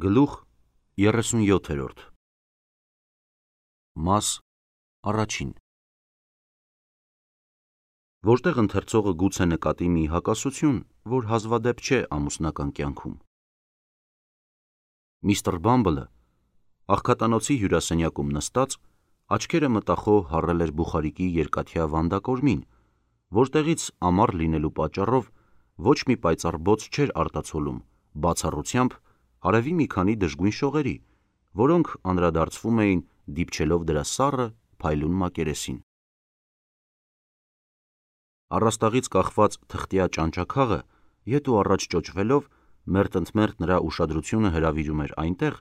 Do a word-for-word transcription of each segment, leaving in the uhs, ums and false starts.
Գլուխ երեսունյոթերորդ Մաս առաջին Որտեղ ընթերցողը գուցե նկատի մի հակասություն, որ հազվադեպ չէ ամուսնական կյանքում։ Միստր Բամբլը աղքատանոցի հյուրասենյակում նստած, աչքերը մտախոհ հառել էր բուխարիկի երկաթյա վանդակորմին, որտեղից ամառ լինելու պատճառով ոչ մի պայծառ բոց չէր արտացոլում, բացառությամբ արևի մի քանի դժգույն շողերի, որոնք անդրադարձվում էին դիպչելով դրա սառը, փայլուն մակերեսին։ Առաստաղից կախված թղթյա ճանճաքաղը ետ ու առաջ ճոճվելով մերթընդմերթ նրա ուշադրությունը հրավիրում էր այնտեղ,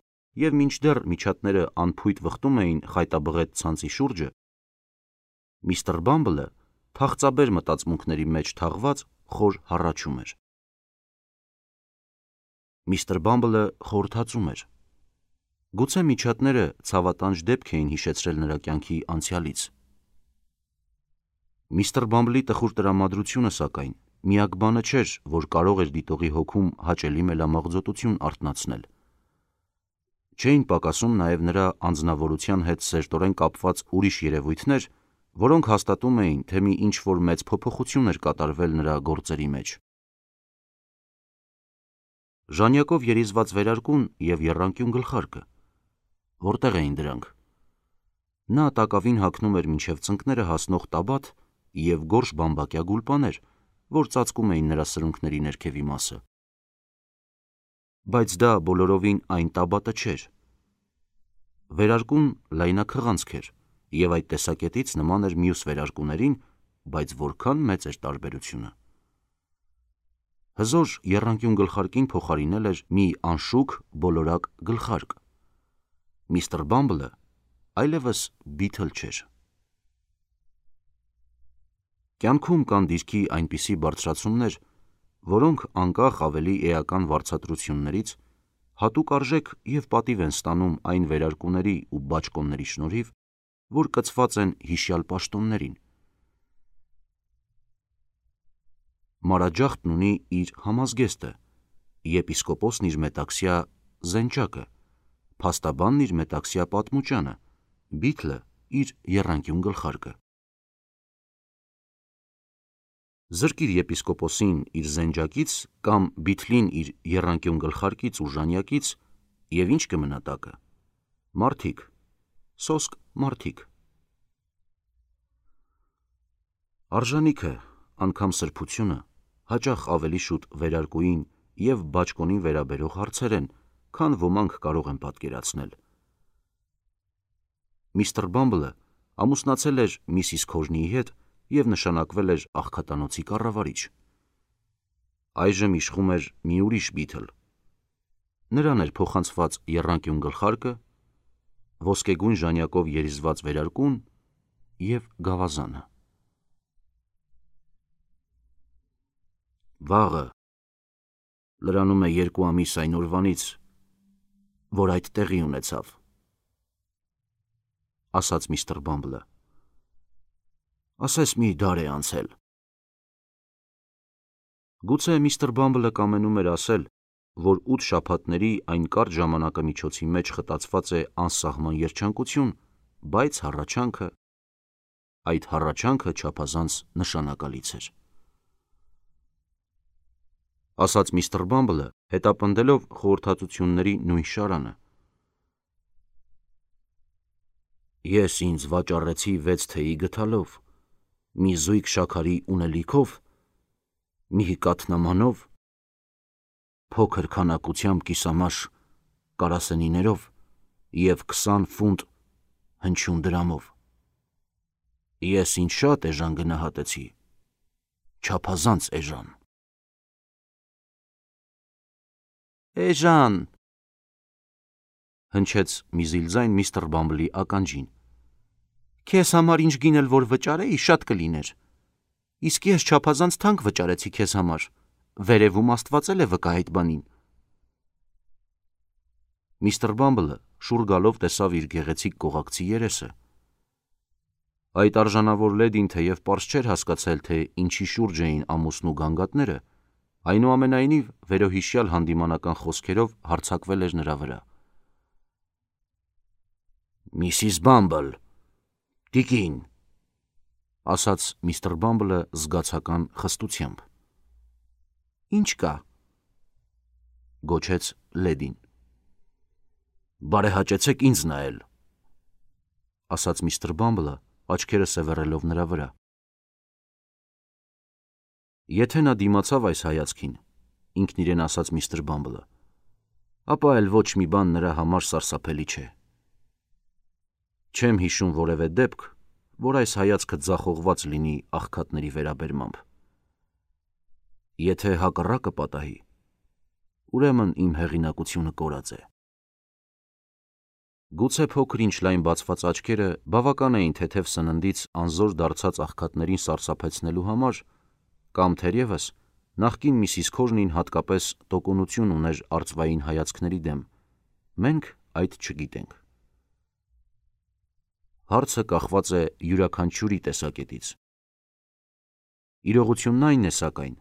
և մինչդեռ միջատները անփույթ վխտում էին խայտաբղետ ցանցի շուրջը, միստր Բամբլը թախծաբեր մտածմունքների մեջ թաղված խոր հառաչում էր։ Միստր Բամբլը խորհրդածում էր։ Գուցե միջատները ցավատանջ դեպք էին հիշեցրել նրա կյանքի անցյալից։ Միստր Բամբլի տխուր տրամադրությունը, սակայն, միակ բանը չէր, որ կարող էր դիտողի հոգում հաճելի մելամաղձոտություն արթնացնել։ Չէին պակասում նաև նրա անձնավորության հետ սերտորեն կապված ուրիշ երևույթներ, որոնք հաստատում էին, թե մի ինչ-որ մեծ փոփոխություն էր կատարվել նրա գործերի մեջ։ Ժանյակով երիզված վերարկուն և եռանկյուն գլխարկը։ Որտեղ էին դրանք։ Նա տակավին հագնում էր մինչև ծնկները հասնող տաբատ և գորշ բամբակյա գուլպաներ, որ ծածկում էին նրա սրունքների ներքևի մասը։ Բայց դա բոլորովին այն տաբատը չէր։ Վերարկուն լայնաքղանցք էր և այդ տեսակետից նման էր մյուս վերարկուներին, բայց որքան մեծ էր տարբերությունը։ Հզոր եռանկյուն գլխարկին փոխարինել էր մի անշուք բոլորակ գլխարկ։ Միստր Բամբլը այլևս Բիթլ չէր։ Կյանքում կան դիրքի այնպիսի բարձրացումներ, որոնք անկախ ավելի էական վարձատրություններից հատուկ արժեք և պատիվ են ստանում այն վերարկուների ու բաճկոնների շնորհիվ, որ կցված են հիշյալ պաշտոններին։ Մանրաջախտն ունի իր համազգեստը, եպիսկոպոսն իր մետաքսյա զենչակը, փաստաբանն իր մետաքսյա պատմուճանը, Բիթլը իր եռանկյուն գլխարկը։ Զրկիր եպիսկոպոսին իր զենջակից կամ Բիթլին իր եռանկյուն գլխարկից ու ժանյակից, և ի՞նչ կմնա տակը։ Մարդիկ, սոսկ մարդիկ։ Արժանիքը, անգամ սրբությունը, հաճախ ավելի շուտ վերարկուին և բաճկոնին վերաբերող հարցեր են, քան ոմանք կարող են պատկերացնել։ Միստր Բամբլը ամուսնացել էր միսիս Քոժնիի հետ և նշանակվել էր աղքատանոցի կառավարիչ։ Այժմ իշխում էր մի ուրիշ Բիթլ։ Նրան էր փոխանցված եռանկյուն գլխարկը, ոսկեգույն ժանյակով երիզված վերարկուն և գավազանը։ Վաղը, լրանում է երկու ամիս այն օրվանից, որ այդ տեղի ունեցավ, ասաց միստր Բամբլը։ Ասես մի դար է անցել։ Գուցե միստր Բամբլը կամենում էր ասել, որ ութ շաբաթների այն կարճ ժամանակամիջոցի մեջ խտացված է անսահման երջանկություն, բայց հառաչանքը… այդ հառաչանքը չափազանց նշանակալից էր։ Ասաց միստր Բամբլը, հետապնդելով խորհրդածությունների նույն շարանը։ Ես ինձ վաճառեցի վեց թեյի գդալով, մի զույգ շաքարի ունելիքով, մի հիկաթ նամանով, փոքր քանակությամբ կիսամաշ կարասենիներով և քսան ֆունտ հնչյուն դրամով։ Ես ինձ շատ էժան գնահատեցի, չափազանց էժան։ Էժան… հնչեց մի զիլ ձայն միստր Բամբլի ականջին։ Քեզ համար ինչ գին էլ որ վճարեի, շատ կլիներ։ Իսկ ես չափազանց թանկ վճարեցի քեզ համար, վերևում Աստված էլ է վկա այդ բանին։ Միստր Բամբլը շուռ գալով տեսավ իր գեղեցիկ կողակցի երեսը։ Այդ արժանավոր լեդին թեև պարզ չէր հասկացել, թե ինչի շուրջ էին ամուսնու գանգատները, Այնուամենայնիվ վերոհիշյալ հանդիմանական խոսքերով հարձակվել էր նրա վրա։ «Միսիս Բամբլ, տիկին», ասաց միստր Բամբլը զգացական խստությամբ։ «Ինչ կա», գոչեց լեդին։ «Բարեհաճեցեք ինձ նայել», ասաց միստր Բամբլը, աչքերը սևեռելով նրա վրա։ Եթե նա դիմացավ այս հայացքին, ինքն իրեն ասաց միստր Բամբլը, ապա էլ ոչ մի բան նրա համար սարսափելի չէ։ Չեմ հիշում որևէ դեպք, որ այս հայացքը ձախողված լինի աղքատների վերաբերմամբ։ Եթե հակառակը պատահի, ուրեմն իմ հեղինակությունը կորած է։ Գուցե փոքր-ինչ լայն բացված աչքերը բավական էին թեթև սննդից անզոր դարձած աղքատներին սարսափեցնելու համար, կամ թերևս նախկին միսիս Քորնին հատկապես տոկունություն ուներ արծվային հայացքների դեմ, մենք այդ չգիտենք։ Հարցը կախված է յուրաքանչյուրի տեսակետից։ Իրողությունն այն է, սակայն,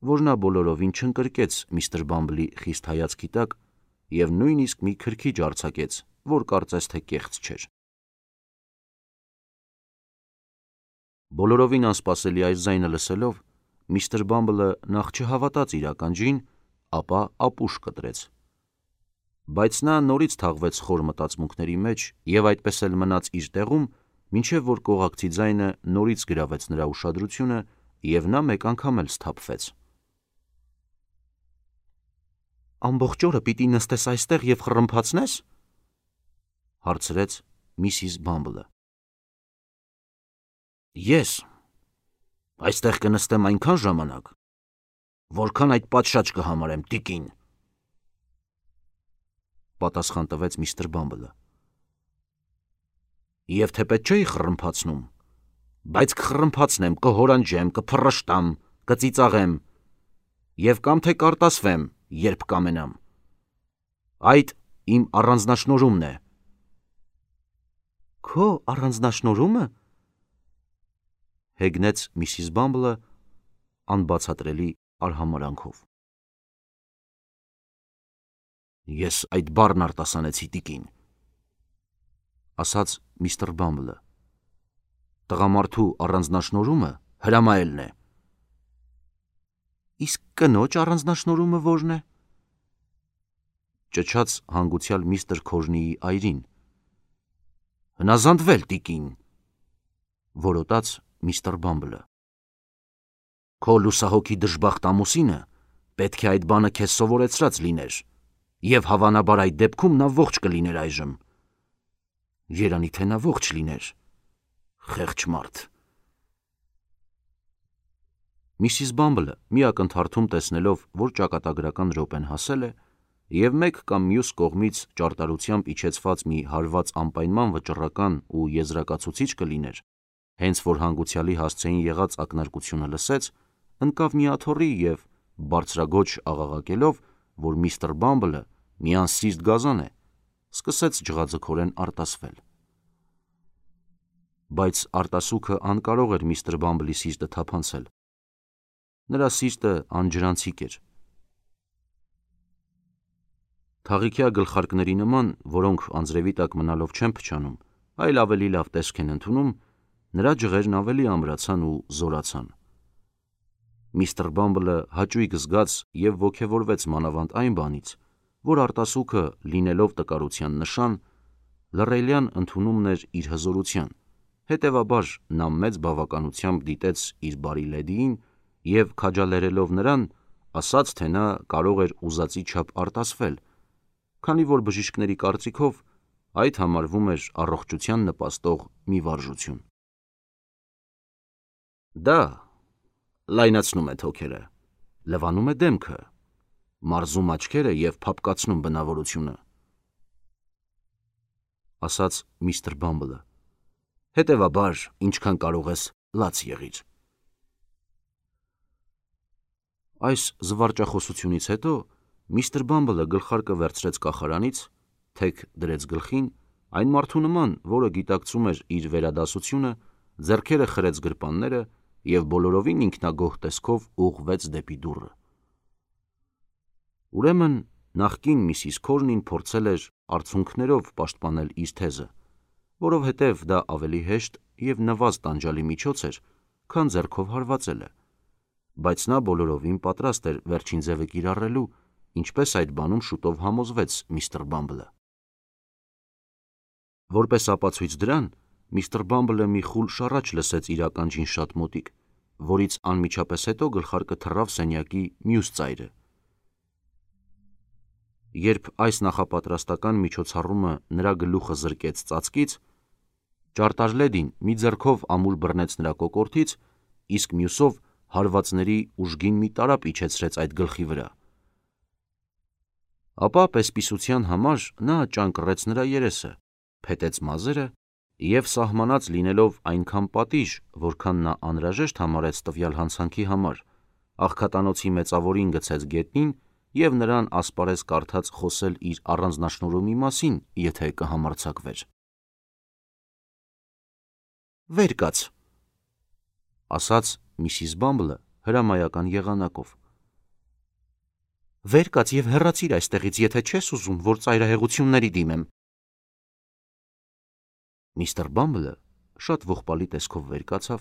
որ նա բոլորովին չընկրկեց միստր Բամբլի խիստ հայացքի տակ և նույնիսկ մի քրքիջ արձակեց, որ կարծես թե կեղծ չէր։ Բոլորովին անսպասելի այս ձայնը լսելով, միստր Բամբլը նախ չհավատաց իր ականջին, ապա ապուշ կտրեց։ Բայց նա նորից թաղվեց խոր մտածմունքների մեջ և այդպես էլ մնաց իր տեղում, մինչև որ կողակցի ձայնը նորից գրավեց նրա ուշադրությունը և նա մեկ անգամ էլ սթափվեց։ «Ամբողջ օրը պիտի նստես այստեղ և խռմփացնե՞ս», հարցրեց միսիս Բամբլը։ «Ես այստեղ կնստեմ այնքան ժամանակ, որքան այդ պատշաճ կհամարեմ, տիկին», պատասխան տվեց միստր Բամբլը։ «Եվ թեպետ չէի խռմփացնում, բայց կխռմփացնեմ, կհորանջեմ, կփռշտամ, կծիծաղեմ և կամ թե կարտասվեմ, երբ կամենամ։ Այդ իմ առանձնաշնորհումն է»։ «Քո առանձնաշնորհումը», հեգնեց միսիս Բամբլը անբացատրելի արհամարհանքով։ «Ես այդ բառն արտասանեցի, տիկին», ասաց միստր Բամբլը։ «Տղամարդու առանձնաշնորհումը հրամայելն է»։ «Իսկ կնոջ առանձնաշնորհումը ո՞րն է», ճչաց հանգուցյալ միստր Քորնիի այրին։ «Հնազանդվել, տիկին», որոտաց միստր Բամբլը։ «Քո լուսահոգի դժբախտ ամուսինը պետք է այդ բանը քեզ սովորեցրած լիներ, և հավանաբար այդ դեպքում նա ողջ կլիներ այժմ։ Երանի թե նա ողջ լիներ, խեղճ մարդ»։ Միսիս Բամբլը մի ակնթարթում տեսնելով, որ ճակատագրական րոպեն հասել է, և մեկ կամ մյուս կողմից ճարտարությամբ իջեցված մի հարված անպայման վճռական ու եզրակացուցիչ կլիներ, հենց որ հանգուցյալի հասցեին եղած ակնարկությունը լսեց, ընկավ մի աթոռի և, բարձրաձոչ աղաղակելով, որ միստր Բամբլը մի անսիրտ գազան է, սկսեց ջղաձգորեն արտասվել։ Բայց արտասուքը անկարող էր միստր Բամբլի սիրտը թափանցել։ Նրա սիրտը անջրանցիկ էր։ Թաղիքյա գլխարկների նման, որոնք անձրևի տակ մնալով չեն փչանում, այլ ավելի լավ տեսք են ընդունում, նրա ջղերն ավելի ամրացան ու զորացան։ Միստր Բամբլը հաճույք զգաց և ոգևորվեց մանավանդ այն բանից, որ արտասուքը, լինելով տկարության նշան, լռելյան ընդունումն էր իր հզորության, հետևաբար նա մեծ բավականությամբ դիտեց իր բարի լեդիին և, քաջալերելով նրան, ասաց, թե նա կարող էր ուզածի չափ արտասվել, քանի որ բժիշկների կարծիքով այդ համարվում էր առողջության նպաստող մի վարժություն։ Դա լայնացնում է թոքերը, լվանում է դեմքը, մարզում աչքերը և փափկացնում բնավորությունը, ասաց միստր Բամբլը, հետևաբար ինչքան կարող ես լաց եղիր։ Այս զվարճախոսությունից հետո միստր Բամբլը գլխարկը վերցրեց կախարանից, թեք դրեց գլխին, այն մարդու նման, որը գիտակցում էր իր վերադասությունը, ձեռքերը խրեց գրպանները և բոլորովին ինքնագոհ տեսքով ուղղվեց դեպի դուռը։ Ուրեմն նախկին Միսիս Քորնին փորձել էր արցունքներով պաշտպանել իր թեզը, որովհետև դա ավելի հեշտ և նվազ տանջալի միջոց էր, քան ձեռքով հարվածելը, բայց նա բոլորովին պատրաստ էր վերջին ձևը կիրառելու, ինչպես այդ բանում շուտով համոզվեց միստր Բամբլը։ Որպես ապացույց դրան, միստր Բամբլը մի խուլ շառաչ լսեց իր ականջին շատ մոտիկ, որից անմիջապես հետո գլխարկը թռավ սենյակի մյուս ծայրը։ Երբ այս նախապատրաստական միջոցառումը նրա գլուխը զրկեց ծածկից, ճարտարլեդին մի ձեռքով ամուր բռնեց նրա կոկորդից, իսկ մյուսով հարվածների ուժգին մի տարափ իջեցրեց այդ գլխի վրա։ Ապա պես-պիսության համար նա ճանկռեց նրա երեսը, փետեց մազերը և սահմանած լինելով այնքան պատիժ, որքան նա անհրաժեշտ համարեց տվյալ հանցանքի համար, աղքատանոցի մեծավորին գցեց գետնին և նրան ասպարեզ կարդաց խոսել իր առանձնաշնորհումի մասին, եթե կհամարձակվեր։ «Վեր կաց», ասաց Միսիս Բամբլը հրամայական եղանակով։ «Վեր կաց և հեռացիր այստեղից, եթե չես ուզում, որ ծայրահեղությունների դիմեմ»։ Միստր Բամբլը շատ ողբալի տեսքով վեր կացավ,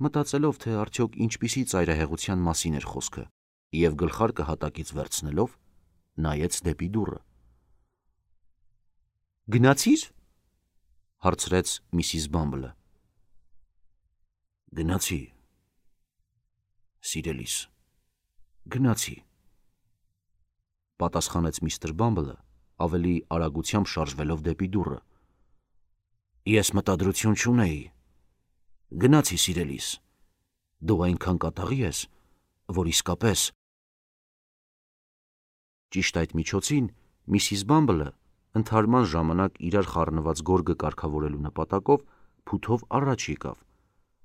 մտածելով, թե արդյոք ինչպիսի ծայրահեղության մասին էր խոսքը, և գլխարկը հատակից վերցնելով, նայեց դեպի դուռը։ «Գնացի՞ր», հարցրեց Միսիս Բամբլը։ «Գնացի, սիրելիս, գնացի», պատասխանեց միստր Բամբլը, ավելի արագությամբ շարժվելով դեպի դուռը։ «Ես մտադրություն չունեի։ Գնացի, սիրելիս, դու այնքան կատաղի ես, որ իսկապես…» Ճիշտ այդ միջոցին Միսիս Բամբլը, ընդհարման ժամանակ իրար խառնված գորգը կարգավորելու նպատակով, փութով առաջ եկավ։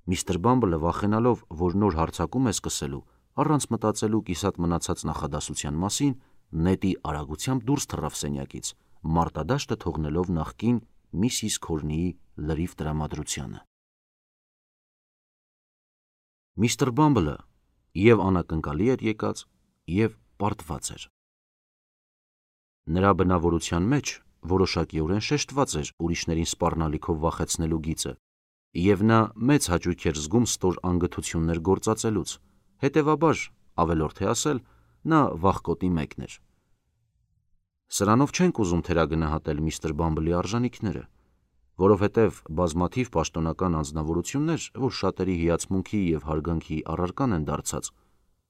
Միստր Բամբլը, վախենալով, որ նոր հարձակում է սկսելու, առանց մտածելու կիսատ մնացած նախադասության մասին, նետի արագությամբ դուրս թռավ սենյակից, մարտադաշտը թողնելով նախկին Միսիս Քորնիի լրիվ տրամադրությանը։ Միստր Բամբլը և անակնկալի էր եկած, և պարտված էր։ Նրա բնավորության մեջ որոշակիորեն շեշտված էր ուրիշներին սպառնալիքով վախեցնելու գիծը, և նա մեծ հաճույք էր զգում ստոր անգթություններ գործածելուց, հետևաբար, ավելորդ է ասել, նա վախկոտի մեկն էր։ Սրանով չենք ուզում թերագնահատել միստր Բամբլի արժանիքները, որովհետև բազմաթիվ պաշտոնական անձնավորություններ, որ շատերի հիացմունքի և հարգանքի առարկան են դարձած,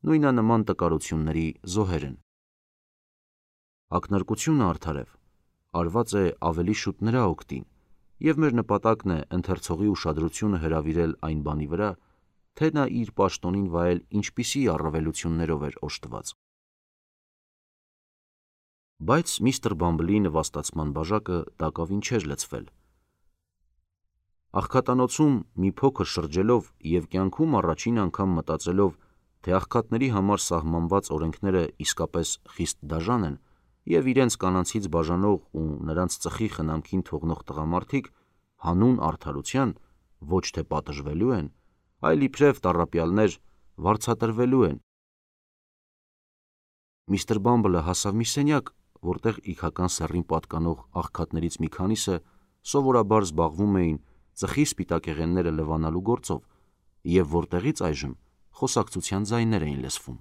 նույնանման տկարությունների զոհեր են։ Ակնարկությունը, արդարև, արված է ավելի շուտ նրա օգտին, և մեր նպատակն է ընթերցողի ուշադրությունը հրավիրել այն բանի վրա, թե նա իր պաշտոնին վայել ինչպիսի առավելություններով էր օժտված։ Բայց միստր Բամբլի նվաստացման բաժակը տակավին չէր լցվել։ Աղքատանոցում մի փոքր շրջելով և կյանքում առաջին անգամ մտածելով, թե աղքատների համար սահմանված օրենքները իսկապես խիստ դաժան են, և իրենց կանանցից բաժանող ու նրանց ծխի խնամքին թողնող տղամարդիկ հանուն արդարության ոչ թե պատժվելու են, այլ իբրև տառապյալներ վարձատրվելու են, միստր Բամբլը հասավ մի սենյակ, որտեղ իգական սեռին պատկանող աղքատներից մի քանիսը սովորաբար զբաղվում էին ծխի սպիտակեղենները լվանալու գործով, և որտեղից այժմ խոսակցության ձայներ էին լսվում։